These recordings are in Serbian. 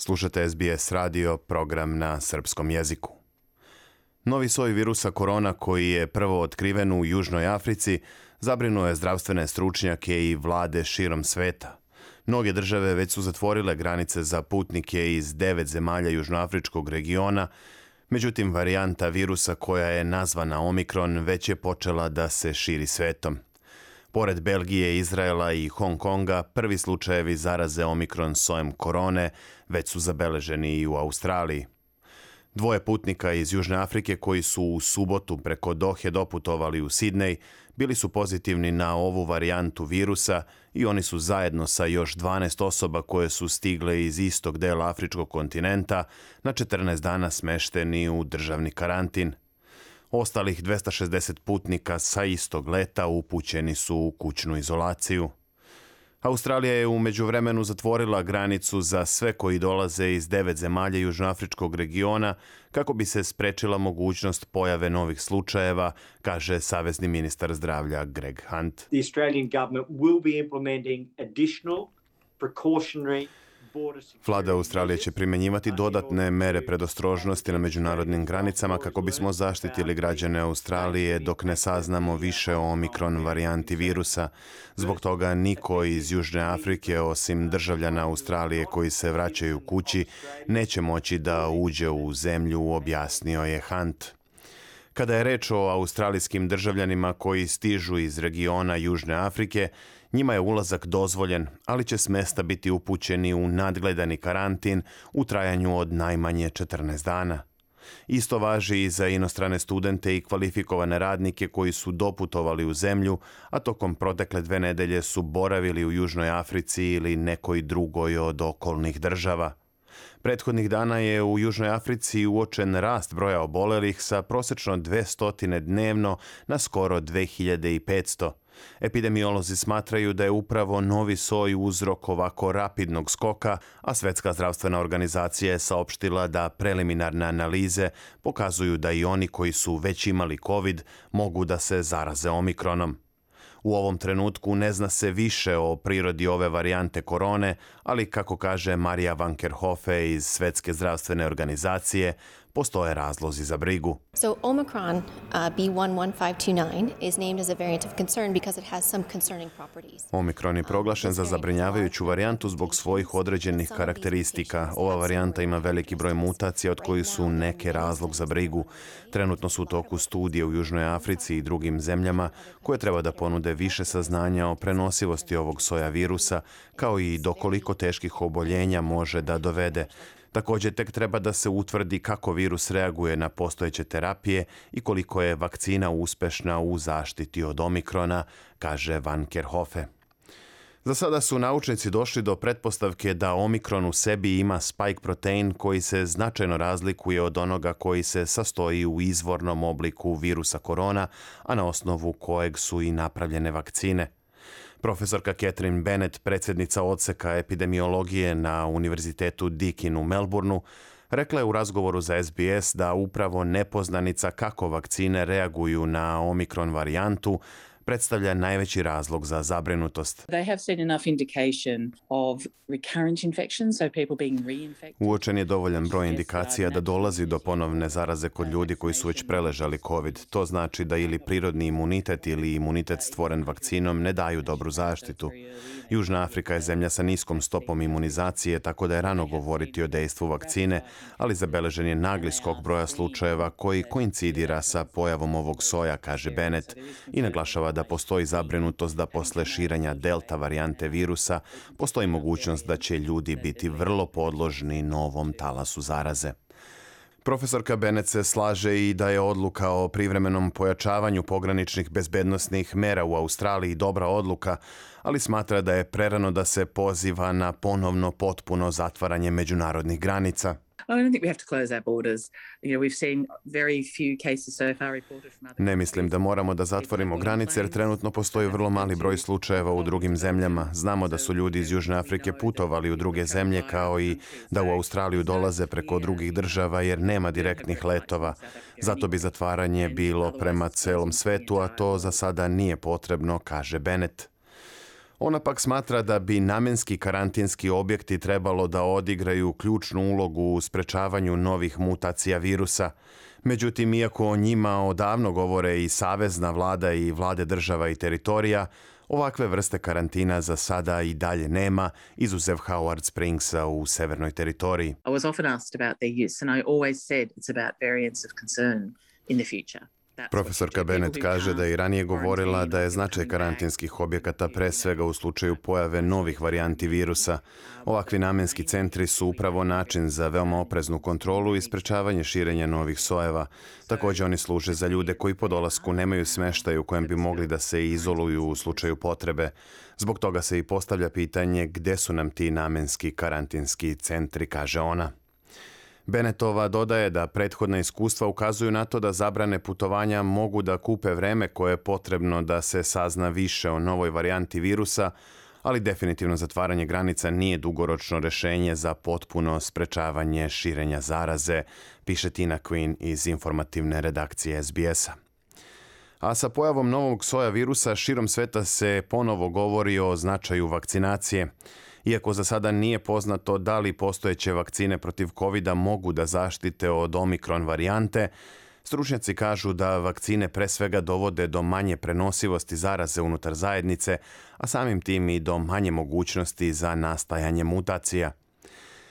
Slušate SBS radio, program na srpskom jeziku. Novi soj virusa korona koji je prvo otkriven u Južnoj Africi zabrinuo je zdravstvene stručnjake i vlade širom sveta. Mnoge države već su zatvorile granice za putnike iz 9 zemalja južnoafričkog regiona, međutim varijanta virusa koja je nazvana Omikron već je počela da se širi svetom. Pored Belgije, Izraela i Hong Konga, prvi slučajevi zaraze Omikron sojem korone već su zabeleženi i u Australiji. 2 putnika iz Južne Afrike koji su u subotu preko Dohe doputovali u Sidnej bili su pozitivni na ovu varijantu virusa i oni su zajedno sa još 12 osoba koje su stigle iz istog dela afričkog kontinenta na 14 dana smešteni u državni karantin. Ostalih 260 putnika sa istog leta upućeni su u kućnu izolaciju. Australija je u međuvremenu zatvorila granicu za sve koji dolaze iz 9 zemalja južnoafričkog regiona kako bi se sprečila mogućnost pojave novih slučajeva, kaže savezni ministar zdravlja Greg Hunt. The Australian government will be implementing additional precautionary. Vlada Australije će primjenjivati dodatne mere predostrožnosti na međunarodnim granicama kako bismo zaštitili građane Australije dok ne saznamo više o Omikron varijanti virusa. Zbog toga niko iz Južne Afrike, osim državljana Australije koji se vraćaju kući, neće moći da uđe u zemlju, objasnio je Hunt. Kada je reč o australijskim državljanima koji stižu iz regiona Južne Afrike, njima je ulazak dozvoljen, ali će s mesta biti upućeni u nadgledani karantin u trajanju od najmanje 14 dana. Isto važi i za inostrane studente i kvalifikovane radnike koji su doputovali u zemlju, a tokom protekle 2 nedelje su boravili u Južnoj Africi ili nekoj drugoj od okolnih država. Prethodnih dana je u Južnoj Africi uočen rast broja obolelih sa prosečno 200 dnevno na skoro 2500. Epidemiolozi smatraju da je upravo novi soj uzrok ovako rapidnog skoka, a Svetska zdravstvena organizacija je saopštila da preliminarne analize pokazuju da i oni koji su već imali COVID mogu da se zaraze Omikronom. U ovom trenutku ne zna se više o prirodi ove varijante korone, ali kako kaže Marija Van Kerkhove iz Svetske zdravstvene organizacije, postoje razlozi za brigu. So Omicron B11529 is named as a variant of concern because it has some concerning properties. Omikron je proglašen za zabrinjavajuću varijantu zbog svojih određenih karakteristika. Ova varijanta ima veliki broj mutacija od kojih su neke razlog za brigu. Trenutno su u toku studije u Južnoj Africi i drugim zemljama koje treba da ponude više saznanja o prenosivosti ovog soja virusa, kao i do koliko teških oboljenja može da dovede. Također tek treba da se utvrdi kako virus reaguje na postojeće terapije i koliko je vakcina uspešna u zaštiti od Omikrona, kaže Van Kerkhove. Za sada su naučnici došli do pretpostavke da Omikron u sebi ima spike protein koji se značajno razlikuje od onoga koji se sastoji u izvornom obliku virusa korona, a na osnovu kojeg su i napravljene vakcine. Profesorka Catherine Bennett, predsjednica odseka epidemiologije na Univerzitetu Deakin u Melbourneu, rekla je u razgovoru za SBS da upravo nepoznanica kako vakcine reaguju na Omikron varijantu predstavlja najveći razlog za zabrinutost. Uočen je dovoljan broj indikacija da dolazi do ponovne zaraze kod ljudi koji su već preležali COVID. To znači da ili prirodni imunitet ili imunitet stvoren vakcinom ne daju dobru zaštitu. Južna Afrika je zemlja sa niskom stopom imunizacije, tako da je rano govoriti o dejstvu vakcine, ali zabeležen je nagli skok broja slučajeva koji koincidira sa pojavom ovog soja, kaže Bennett, i naglašava da postoji zabrinutost da posle širenja delta varijante virusa postoji mogućnost da će ljudi biti vrlo podložni novom talasu zaraze. Profesorka Bennett se slaže i da je odluka o privremenom pojačavanju pograničnih bezbednosnih mera u Australiji dobra odluka, ali smatra da je prerano da se poziva na ponovno potpuno zatvaranje međunarodnih granica. Ne mislim da moramo da zatvorimo granice jer trenutno postoji vrlo mali broj slučajeva u drugim zemljama. Znamo da su ljudi iz Južne Afrike putovali u druge zemlje kao i da u Australiju dolaze preko drugih država jer nema direktnih letova. Zato bi zatvaranje bilo prema celom svetu, a to za sada nije potrebno, kaže Bennett. Ona pak smatra da bi namenski karantinski objekti trebalo da odigraju ključnu ulogu u sprečavanju novih mutacija virusa. Međutim, iako o njima odavno govore i savezna vlada i vlade država i teritorija, ovakve vrste karantina za sada i dalje nema, izuzev Howard Springsa u severnoj teritoriji. I was often asked about their use and I always said it's about variants of concern in the future. Profesorka Bennett kaže da je i ranije govorila da je značaj karantinskih objekata pre svega u slučaju pojave novih varijanti virusa. Ovakvi namenski centri su upravo način za veoma opreznu kontrolu i sprečavanje širenja novih sojeva. Također oni služe za ljude koji po dolasku nemaju smeštaj u kojem bi mogli da se izoluju u slučaju potrebe. Zbog toga se i postavlja pitanje gde su nam ti namenski karantinski centri, kaže ona. Bennettova dodaje da prethodna iskustva ukazuju na to da zabrane putovanja mogu da kupe vreme koje je potrebno da se sazna više o novoj varijanti virusa, ali definitivno zatvaranje granica nije dugoročno rešenje za potpuno sprečavanje širenja zaraze, piše Tina Quinn iz informativne redakcije SBS-a. A sa pojavom novog soja virusa širom sveta se ponovo govori o značaju vakcinacije. Iako za sada nije poznato da li postojeće vakcine protiv COVID-a mogu da zaštite od omikron varijante, stručnjaci kažu da vakcine pre svega dovode do manje prenosivosti zaraze unutar zajednice, a samim tim i do manje mogućnosti za nastajanje mutacija.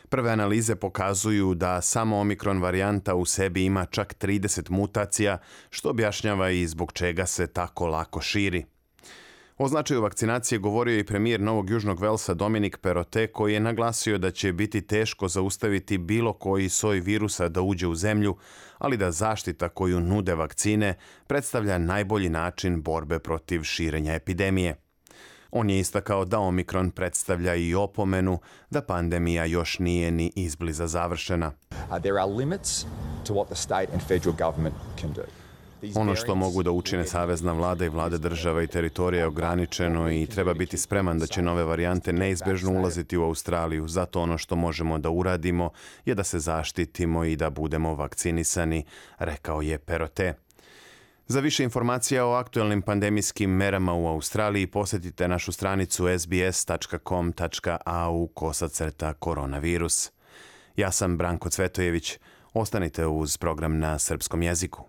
Prve analize pokazuju da samo omikron varijanta u sebi ima čak 30 mutacija, što objašnjava i zbog čega se tako lako širi. O značaju vakcinacije govorio i premijer Novog Južnog Velsa Dominic Perrottet, koji je naglasio da će biti teško zaustaviti bilo koji soj virusa da uđe u zemlju, ali da zaštita koju nude vakcine predstavlja najbolji način borbe protiv širenja epidemije. On je istakao da omikron predstavlja i opomenu da pandemija još nije ni izbliza završena. There are limits to what the state and federal government can do. Ono što mogu da učine savezna vlada i vlade država i teritorija je ograničeno i treba biti spreman da će nove varijante neizbežno ulaziti u Australiju. Zato ono što možemo da uradimo je da se zaštitimo i da budemo vakcinisani, rekao je Perrottet. Za više informacija o aktuelnim pandemijskim merama u Australiji posjetite našu stranicu sbs.com.au/koronavirus. Ja sam Branko Cvetojević. Ostanite uz program na srpskom jeziku.